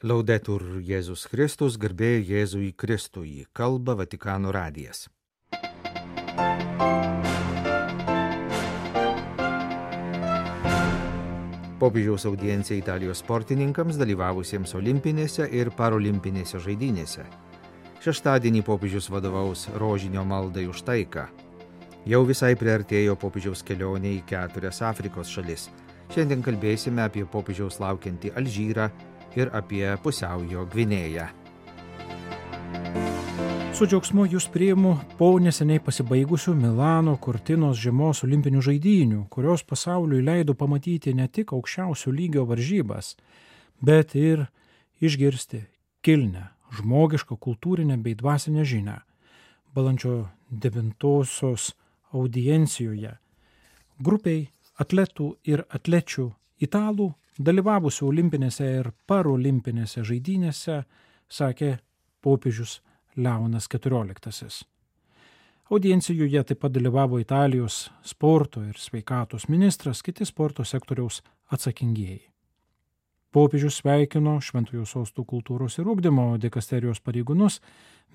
Laudetur Jėzus Kristus, garbė Jėzui Kristui, kalba Vatikano radijas. Popiežiaus audiencija Italijos sportininkams dalyvavusiems olimpinėse ir parolimpinėse žaidynėse. Šeštadienį popiežius vadovaus rožinio maldai už taiką. Jau visai priartėjo popiežiaus kelionė į 4 Afrikos šalis. Šiandien kalbėsime apie popiežiaus laukiantį Alžyrą ir apie Pusiaujo Gvinėją. Su džiaugsmu jūs priimu po neseniai pasibaigusių Milano Cortinos žiemos olimpinių žaidynių, kurios pasauliui leido pamatyti ne tik aukščiausio lygio varžybas, bet ir išgirsti kilnią, žmogišką, kultūrinę bei dvasinę žinią. Balandžio 9 audiencijoje grupiai atletų ir atlečių italų dalyvavusių olimpinėse ir parolimpinėse žaidynėse, sakė popiežius Leonas XIV. Audiencijoje taip pat dalyvavo Italijos sporto ir sveikatos ministras, kiti sporto sektoriaus atsakingieji. Popiežius sveikino Šventojo Sosto kultūros ir ugdymo dikasterijos pareigūnus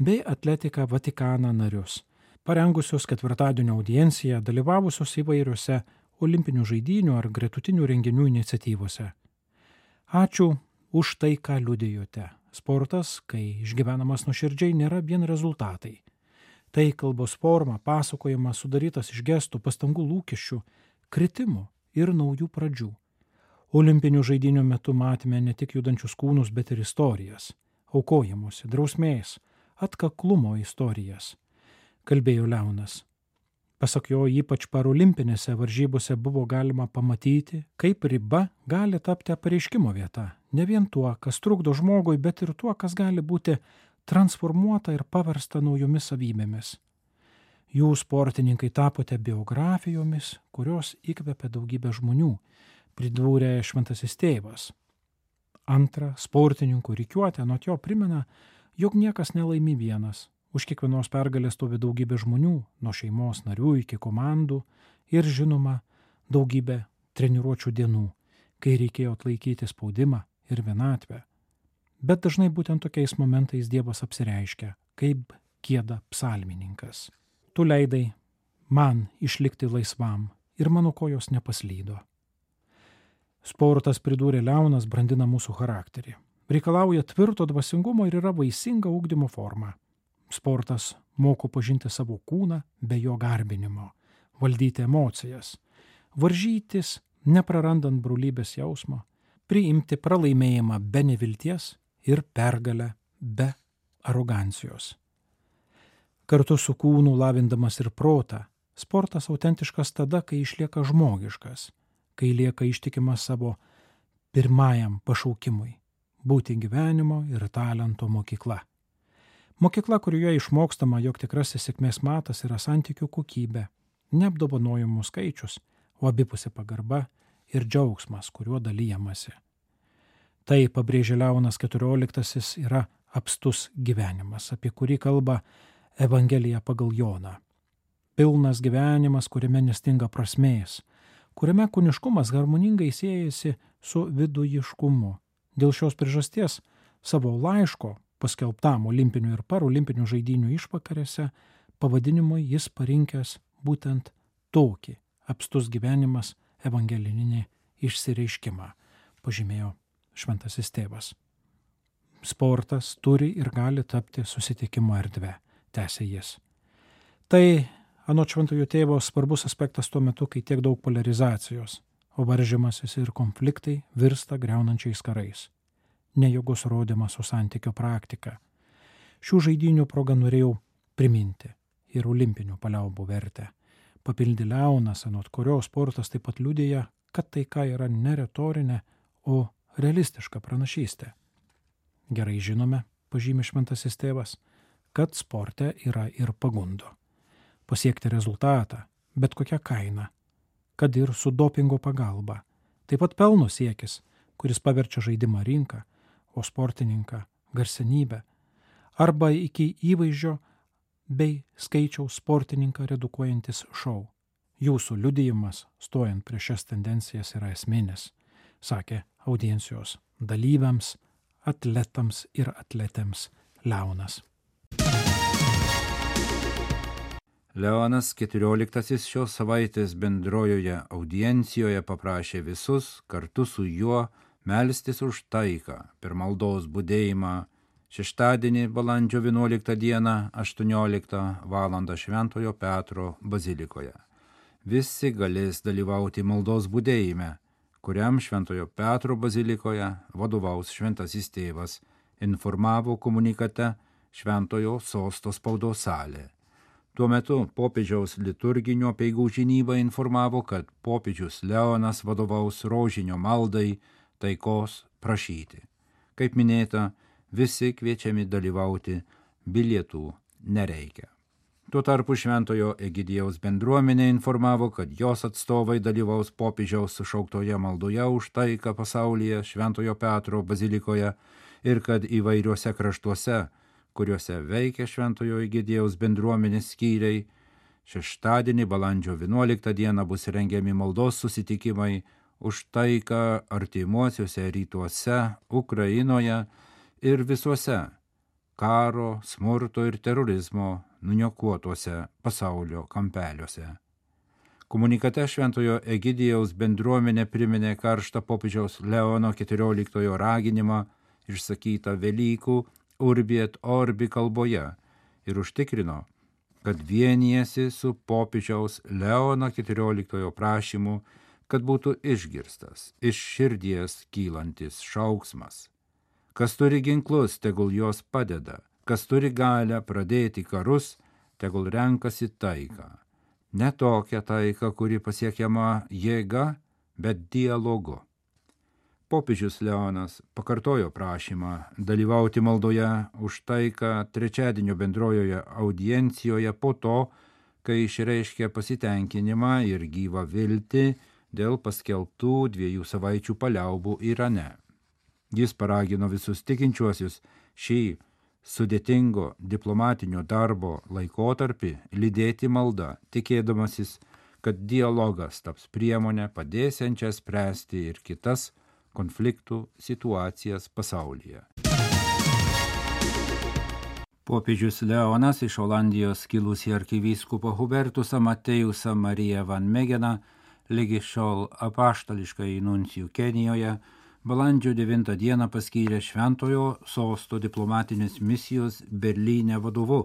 bei Atletiką Vatikaną narius, parengusios ketvirtadienio audienciją, dalyvavusios įvairiose olimpinių žaidynių ar gretutinių renginių iniciatyvose. Ačiū už tai, ką liudijote. Sportas, kai išgyvenamas nuoširdžiai, nėra vien rezultatai. Tai kalbos forma, pasakojimas sudarytas iš gestų, pastangų, lūkesčių, kritimų ir naujų pradžių. Olimpinių žaidynių metu matėme ne tik judančius kūnus, bet ir istorijas, aukojimuose, drausmės, atkaklumo istorijas, kalbėjo Leonas. Pasak jo, ypač parolimpinėse varžybose buvo galima pamatyti, kaip riba gali tapti apreiškimo vieta. Ne vien tuo, kas trukdo žmogui, bet ir tuo, kas gali būti transformuota ir paversta naujomis savybėmis. Jūs, sportininkai, tapote biografijomis, kurios įkvepia daugybę žmonių, pridūrė Šventasis Tėvas. Antra, sportininkų rikiuotė anot jo primena, jog niekas nelaimi vienas. Už kiekvienos pergalės stovi daugybė žmonių, nuo šeimos narių iki komandų ir, žinoma, daugybė treniruočių dienų, kai reikėjo atlaikyti spaudimą ir vienatvę. Bet dažnai būtent tokiais momentais Dievas apsireiškia, kaip gieda psalmininkas. Tu leidai man išlikti laisvam ir mano kojos nepaslydo. Sportas, pridūrė Leonas, brandina mūsų charakterį. Reikalauja tvirto dvasingumo ir yra vaisinga ugdymo forma. Sportas moko pažinti savo kūną be jo garbinimo, valdyti emocijas, varžytis, neprarandant brolybės jausmo, priimti pralaimėjimą be nevilties ir pergalę be arogancijos. Kartu su kūnu lavindamas ir protą, sportas autentiškas tada, kai išlieka žmogiškas, kai lieka ištikimas savo pirmajam pašaukimui – būti gyvenimo ir talento mokykla. Mokykla, kurioje išmokstama, jog tikrasis sėkmės matas yra santykių kokybė, neapdovanojimų skaičius, o abipusė pagarba ir džiaugsmas, kuriuo dalyjamasi. Tai, pabrėžė Leonas XIV, yra apstus gyvenimas, apie kurį kalba Evangelija pagal Joną. Pilnas gyvenimas, kuriame nestinga prasmės, kuriame kūniškumas harmoningai siejasi su vidujiškumu. Dėl šios priežasties savo laiško paskelbtam olimpinių ir parolimpinių žaidynių išvakarėse pavadinimui jis parinkęs būtent tokį apstus gyvenimas evangelinį išsireiškimą, pažymėjo Šventasis Tėvas. Sportas turi ir gali tapti susitikimo erdve, tęsė jis. Tai, anot Šventojo Tėvo, svarbus aspektas tuo metu, kai tiek daug polarizacijos, o varžymasis ir konfliktai virsta griaunančiais karais. Nejėgos rodymas su santykio praktika. Šių žaidynių proga norėjau priminti ir olimpinių paliaubų vertę. Papildė Leonas, anot kurio sportas taip pat liudija, kad taika yra ne retorinė, o realistiška pranašystė. Gerai žinome, pažymė Šventasis Tėvas, kad sporte yra ir pagundo. Pasiekti rezultatą, bet kokia kaina, kad ir su dopingo pagalba. Taip pat pelno siekis, kuris paverčia žaidimą rinką, o sportininką garsenybę, arba iki įvaizdžio bei skaičiaus sportininką redukuojantis šou. Jūsų liudijimas, stojant prieš šias tendencijas, yra esminis, sakė audiencijos dalyviams atletams ir atletėms. Leonas. Leonas XIV šios savaitės bendrojoje audiencijoje paprašė visus kartu su juo melstis už taiką per maldos budėjimą šeštadienį balandžio 11 dieną 18 val. Šventojo Petro bazilikoje. Visi galės dalyvauti maldos budėjime, kuriam Šventojo Petro bazilikoje vadovaus šventasis tėvas, informavo komunikate Šventojo sosto spaudos salė. Tuo metu popiežiaus liturginio apeigų žinyba informavo, kad popiežius Leonas vadovaus rožinio maldai taikos prašyti. Kaip minėta, visi kviečiami dalyvauti, bilietų nereikia. Tuo tarpu Šventojo Egidijaus bendruomenė informavo, kad jos atstovai dalyvaus popiežiaus sušauktoje maldoje už taiką pasaulyje Šventojo Petro bazilikoje ir kad įvairiuose kraštuose, kuriuose veikia Šventojo Egidijaus bendruomenės skyriai, šeštadienį balandžio 11 dieną bus rengiami maldos susitikimai už taiką artimuosiuose rytuose, Ukrainoje ir visuose karo, smurto ir terorizmo nuniokuotuose pasaulio kampeliuose. Komunikate Šventojo Egidijaus bendruomenė priminė karštą popiežiaus Leono XIV raginimą išsakytą Velykų Urbi et Orbi kalboje ir užtikrino, kad vienijasi su popiežiaus Leono XIV prašymu, kad būtų išgirstas iš širdies kylantis šauksmas. Kas turi ginklus, tegul jos padeda, kas turi galią pradėti karus, tegul renkasi taiką. Ne tokią taiką, kuri pasiekiama jėga, bet dialogu. Popiežius Leonas pakartojo prašymą dalyvauti maldoje už taiką trečiadienio bendrojoje audiencijoje po to, kai išreiškė pasitenkinimą ir gyvą viltį dėl paskelbtų 2 savaičių paliaubų Irane. Jis paragino visus tikinčiuosius šį sudėtingo diplomatinio darbo laikotarpį lydėti malda, tikėdamasis, kad dialogas taps priemonė padėsiančia spręsti ir kitas konfliktų situacijas pasaulyje. Popiežius Leonas iš Olandijos kilusį arkivyskupą Hubertusą Matėjusą Mariją van Megeną, lygi šiol apaštališkai nuncijų Kenijoje, balandžio 9 dieną paskyrė Šventojo sosto diplomatinės misijos Berlyne vadovu,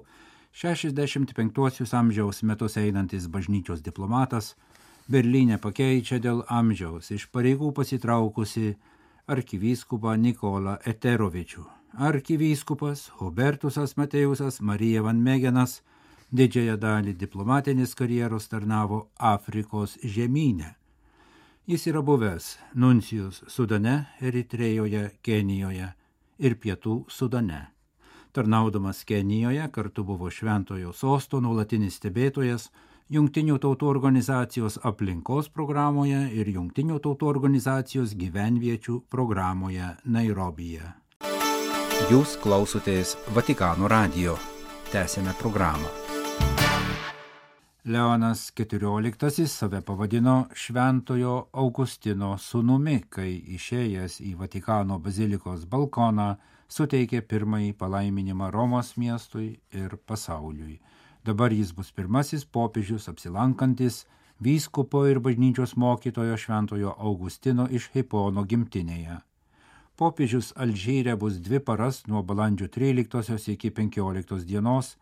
65 amžiaus metus einantis bažnyčios diplomatas, Berlyne pakeičia dėl amžiaus iš pareigų pasitraukusi arkivyskupą Nikolą Eterovičių. Arkivyskupas Hubertusas Matėjusas Marija van Megenas didžiąją dalį diplomatinės karjeros tarnavo Afrikos žemyne. Jis yra buvęs nuncijus Sudane, Eritrėjoje, Kenijoje ir Pietų Sudane. Tarnaudamas Kenijoje kartu buvo Šventojo sosto nuolatinis stebėtojas Jungtinių tautų organizacijos aplinkos programoje ir Jungtinių tautų organizacijos gyvenviečių programoje Nairobije. Jūs klausotės Vatikano radijo. Tęsiame programą. Leonas XIV save pavadino Šventojo Augustino sūnumi, kai išėjęs į Vatikano bazilikos balkoną suteikė pirmąjį palaiminimą Romos miestui ir pasauliui. Dabar jis bus pirmasis popiežius apsilankantis vyskupo ir bažnyčios mokytojo Šventojo Augustino iš Hipono gimtinėje. Popiežius Alžyre bus 2 paras nuo balandžio 13 iki 15 dienos,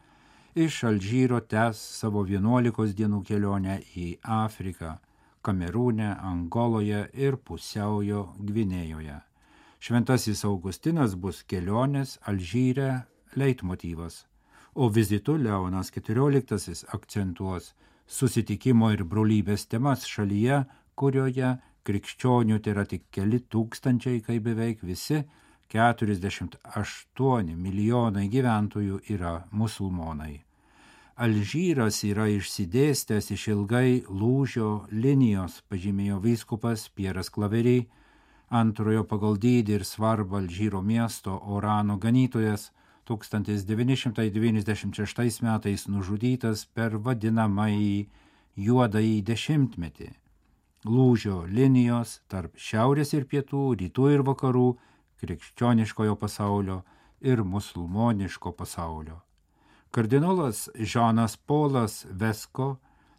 iš Alžyro tęs savo 11 dienų kelionę į Afriką, Kamerūne, Angoloje ir Pusiaujo Gvinėjoje. Šventasis Augustinas bus kelionės Alžyre leitmotyvas, o vizitu Leonas XIV akcentuos susitikimo ir brolybės temas šalyje, kurioje krikščionių tai yra tik keli tūkstančiai, kai beveik visi 48 milijonai gyventojų yra musulmonai. Alžyras yra išsidėstęs iš ilgai lūžio linijos, pažymėjo vyskupas Pieras Klavery, antrojo pagal dydį ir svarbą Alžyro miesto Orano ganytojas, 1996 metais nužudytas per vadinamąjį juodąjį dešimtmetį. Lūžio linijos tarp šiaurės ir pietų, rytų ir vakarų krikščioniškojo pasaulio ir musulmoniško pasaulio. Kardinolas Žanas Polas Vesko,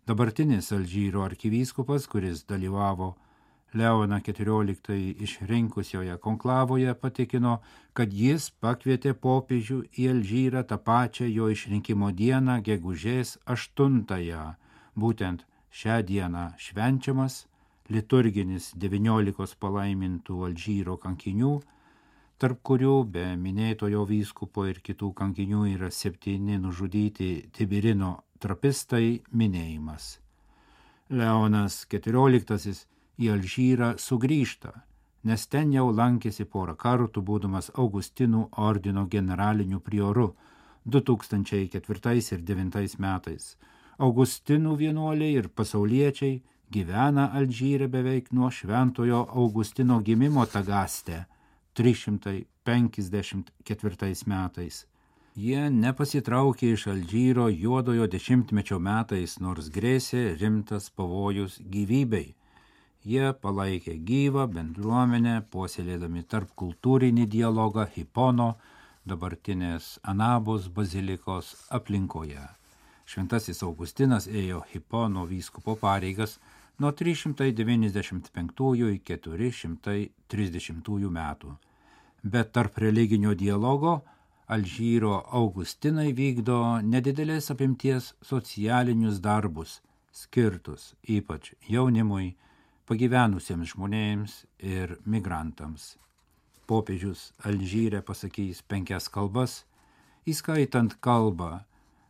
dabartinis Alžyro arkivyskupas, kuris dalyvavo Leoną XIV išrinkusioje konklavoje, patikino, kad jis pakvietė popiežių į Alžyrą tą pačią jo išrinkimo dieną, gegužės 8-ąją. Būtent šią dieną švenčiamas liturginis 19 palaimintų Alžyro kankinių, tarp kurių be minėtojo vyskupo ir kitų kankinių yra 7 nužudyti Tibirino trapistai minėjimas. Leonas XIV į Alžyrą sugrįžta, nes ten jau lankėsi porą kartų, būdamas Augustinų ordino generaliniu prioru 2004 ir 2009 metais. Augustinų vienuoliai ir pasauliečiai gyvena Alžyre beveik nuo šventojo Augustino gimimo Tagaste 354 metais. Jie nepasitraukė iš Alžyro juodojo dešimtmečio metais, nors grėsė rimtas pavojus gyvybei. Jie palaikė gyvą bendruomenę, puoselėdami tarpkultūrinį dialogą Hipono, dabartinės Anabos bazilikos aplinkoje. Šventasis Augustinas ėjo Hipono vyskupo pareigas nuo 395 iki 430 metų. Bet tarp religinio dialogo Alžyro Augustinai vykdo nedidelės apimties socialinius darbus, skirtus ypač jaunimui, pagyvenusiems žmonėms ir migrantams. Popiežius Alžyre pasakys 5 kalbas, įskaitant kalbą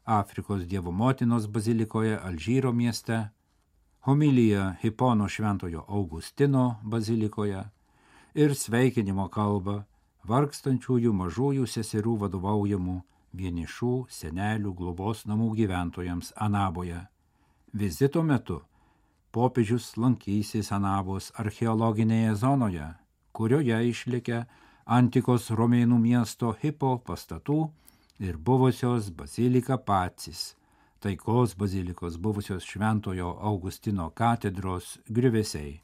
Afrikos Dievo motinos bazilikoje Alžyro mieste, homiliją Hipono šventojo Augustino bazilikoje ir sveikinimo kalbą vargstančiųjų mažųjų seserų vadovaujamų vienišų senelių globos namų gyventojams Anaboje. Vizito metu popiežius lankysis Anabos archeologinėje zonoje, kurioje išlikę antikos romėnų miesto Hipo pastatų ir buvusios bazilika Pacis, taikos bazilikos buvusios šventojo Augustino katedros griuvesiai.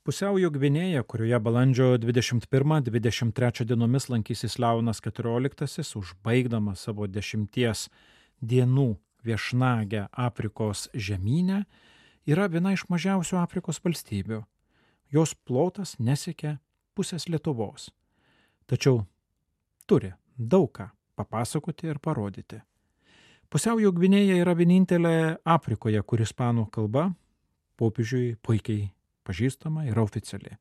Pusiaujo Gvinėja, kurioje balandžio 21-23 dienomis lankysis Leonas XIV, užbaigdamas savo 10 dienų viešnagę Afrikos žemyne, yra viena iš mažiausių Afrikos valstybių. Jos plotas nesiekia pusės Lietuvos. Tačiau turi daug ką papasakoti ir parodyti. Pusiaujo Gvinėja yra vienintelė Afrikoje, kur ispanų kalba popiežiui puikiai pažįstama ir oficiali.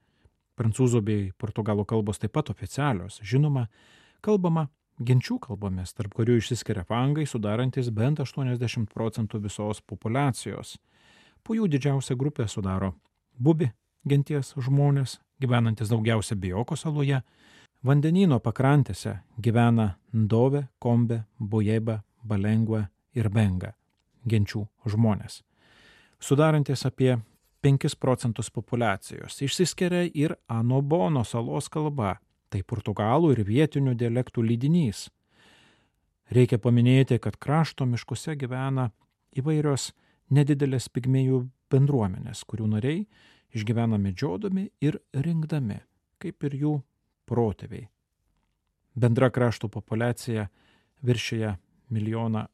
Prancūzų bei portugalų kalbos taip pat oficialios. Žinoma, kalbama genčių kalbomis, tarp kurių išsiskiria fangai, sudarantis bent 80% visos populiacijos. Po jų didžiausia grupė sudaro bubi genties žmonės, gyvenantis daugiausia Bioko saloje. Vandenyno pakrantėse gyvena Ndove, Kombe, Bojeba, Balengva ir Benga genčių žmonės, sudarantis apie 5% populiacijos. Išsiskiria ir Anobono salos kalba, tai portugalų ir vietinių dialektų lydinys. Reikia paminėti, kad krašto miškuose gyvena įvairios nedidelės pigmėjų bendruomenės, kurių nariai išgyvena medžiodami ir rinkdami, kaip ir jų protėviai. Bendra krašto populiacija viršija 1,8 milijono.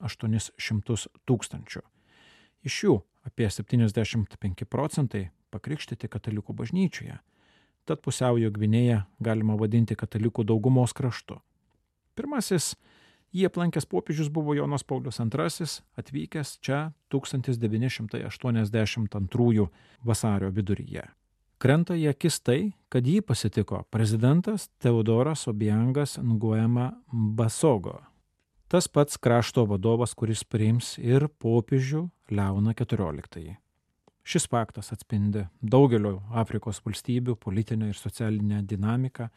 Iš jų apie 75% pakrikštyti katalikų bažnyčioje. Tad Pusiaujo Gvinėją galima vadinti katalikų daugumos kraštu. Pirmasis jį aplankęs popiežius buvo Jonas Paulius II, atvykęs čia 1982 vasario viduryje. Krenta į akis tai, kad jį pasitiko prezidentas Teodoras Obiangas Nguema Basogo. Tas pats krašto vadovas, kuris priims ir popiežių Leoną XIV. Šis faktas atspindi daugelio Afrikos valstybių politinę ir socialinę dinamiką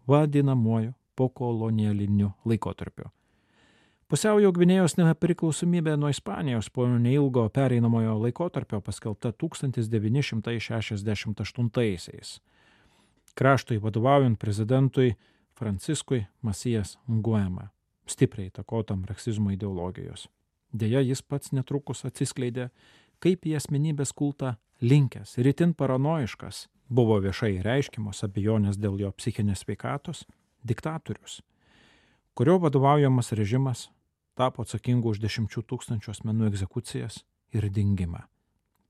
vadinamuoju pokolonialiniu laikotarpiu. Pusiaujo Gvinėjos nepriklausomybė nuo Ispanijos po neilgo pereinamojo laikotarpio paskelbta 1968. Kraštui vadovaujant prezidentui Franciskui Masijas Nguema, stipriai įtakotam marksizmo ideologijos. Deja, jis pats netrukus atsiskleidė, kaip į asmenybės kultą linkęs ir itin paranoiškas, buvo viešai reiškimos abejonės dėl jo psichinės sveikatos, diktatorius, kurio vadovaujamas režimas tapo atsakingu už 10 000 asmenų egzekucijas ir dingimą.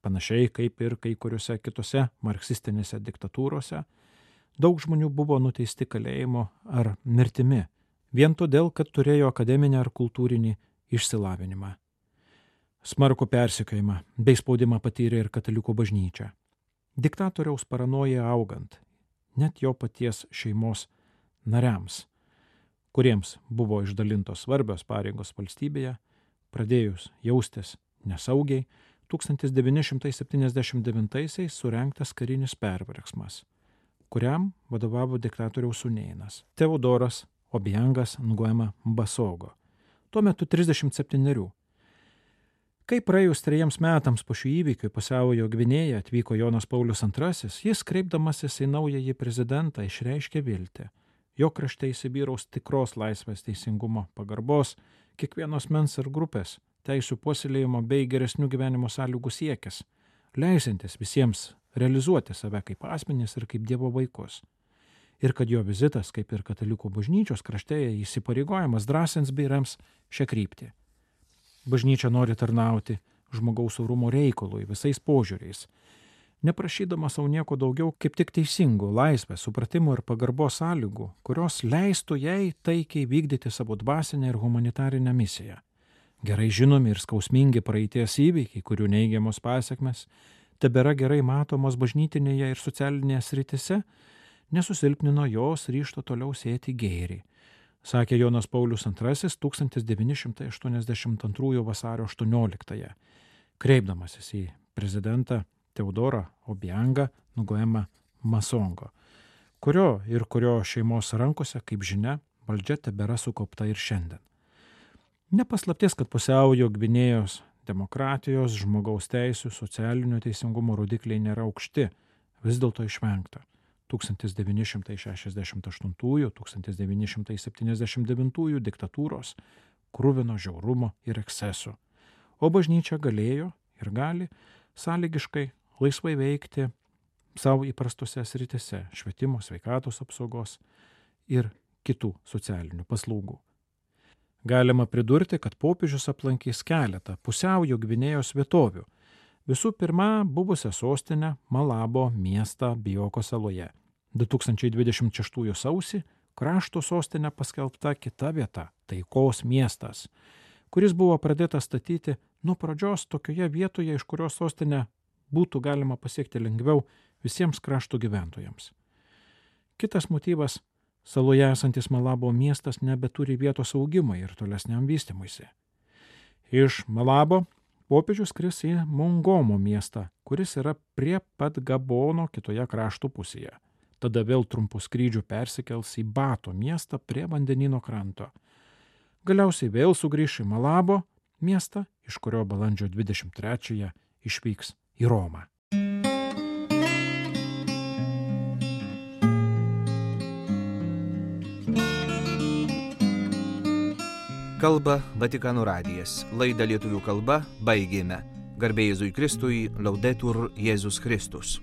Panašiai kaip ir kai kuriuose kitose marksistinėse diktatūrose, daug žmonių buvo nuteisti kalėjimo ar mirtimi, vien todėl, kad turėjo akademinį ar kultūrinį išsilavinimą. Smarkų persekiojimą bei spaudimą patyrė ir katalikų bažnyčia. Diktatoriaus paranoja augant, net jo paties šeimos nariams, kuriems buvo išdalintos svarbios pareigos valstybėje, pradėjus jaustis nesaugiai, 1979-aisiais surengtas karinis perversmas, kuriam vadovavo diktatoriaus sūnėnas Teodoras Obiangas Nguema Mbasogo, tuo metu 37. Kai praėjus 3 metams po šių įvykių į Pusiaujo Gvinėją atvyko Jonas Paulius II, jis, kreipdamasis į naująjį prezidentą, išreiškė viltį. Jo krašte įsivyraus tikros laisvės, teisingumo, pagarbos, kiekvienos mens ir grupės, teisių puoselėjimo bei geresnių gyvenimo sąlygų siekis, leisintis visiems realizuoti save kaip asmenys ir kaip Dievo vaikus. Ir kad jo vizitas, kaip ir katalikų bažnyčios kraštėje, įsipareigojimas drąsins bei rems šią kryptį. Bažnyčia nori tarnauti žmogaus orumo reikalui visais požiūriais, neprašydama savo nieko daugiau kaip tik teisingų, laisvės, supratimo ir pagarbos sąlygų, kurios leistų jai taikiai vykdyti savo dvasinę ir humanitarinę misiją. Gerai žinomi ir skausmingi praeities įvykiai, kurių neigiamos pasekmes tebėra gerai matomos bažnytinėje ir socialinėje sritise, nesusilpnino jos ryžto toliau sėti gėrį, sakė Jonas Paulius II 1982 vasario 18, kreipdamasis į prezidentą Teodorą Obiangą Nguema Masongo, kurio šeimos rankose, kaip žinia, valdžia tebėra sukaupta ir šiandien. Nepaslaptis, kad Pusiaujo Gvinėjos demokratijos, žmogaus teisių, socialinio teisingumo rodikliai nėra aukšti, vis dėlto išvengta 1968-1979 diktatūros, kruvino žiaurumo ir ekscesų, o bažnyčia galėjo ir gali sąlygiškai laisvai veikti savo įprastose sritise – švietimo, sveikatos apsaugos ir kitų socialinių paslaugų. Galima pridurti, kad popiežius aplankys keletą Pusiaujo Gvinėjos vietovių. Visų pirma, buvusią sostinę Malabo miestą Bioko saloje. 2026 sausį krašto sostinę paskelbta kita vieta – Taikos miestas, kuris buvo pradėtas statyti nuo pradžios tokioje vietoje, iš kurios sostinę būtų galima pasiekti lengviau visiems krašto gyventojams. Kitas motyvas – saloje esantis Malabo miestas nebeturi vietos augimui ir tolesniam vystymuisi. Iš Malabo popiežius skris į Mongomo miestą, kuris yra prie pat Gabono kitoje krašto pusėje. Tada vėl trumpų skrydžių persikels į Bato miestą prie vandenyno kranto. Galiausiai vėl sugrįš į Malabo miestą, iš kurio balandžio 23 išvyks į Romą. Kalba Vatikano radijas. Laidą lietuvių kalba baigėme. Garbė Jėzui Kristui, Laudetur Jėzus Kristus.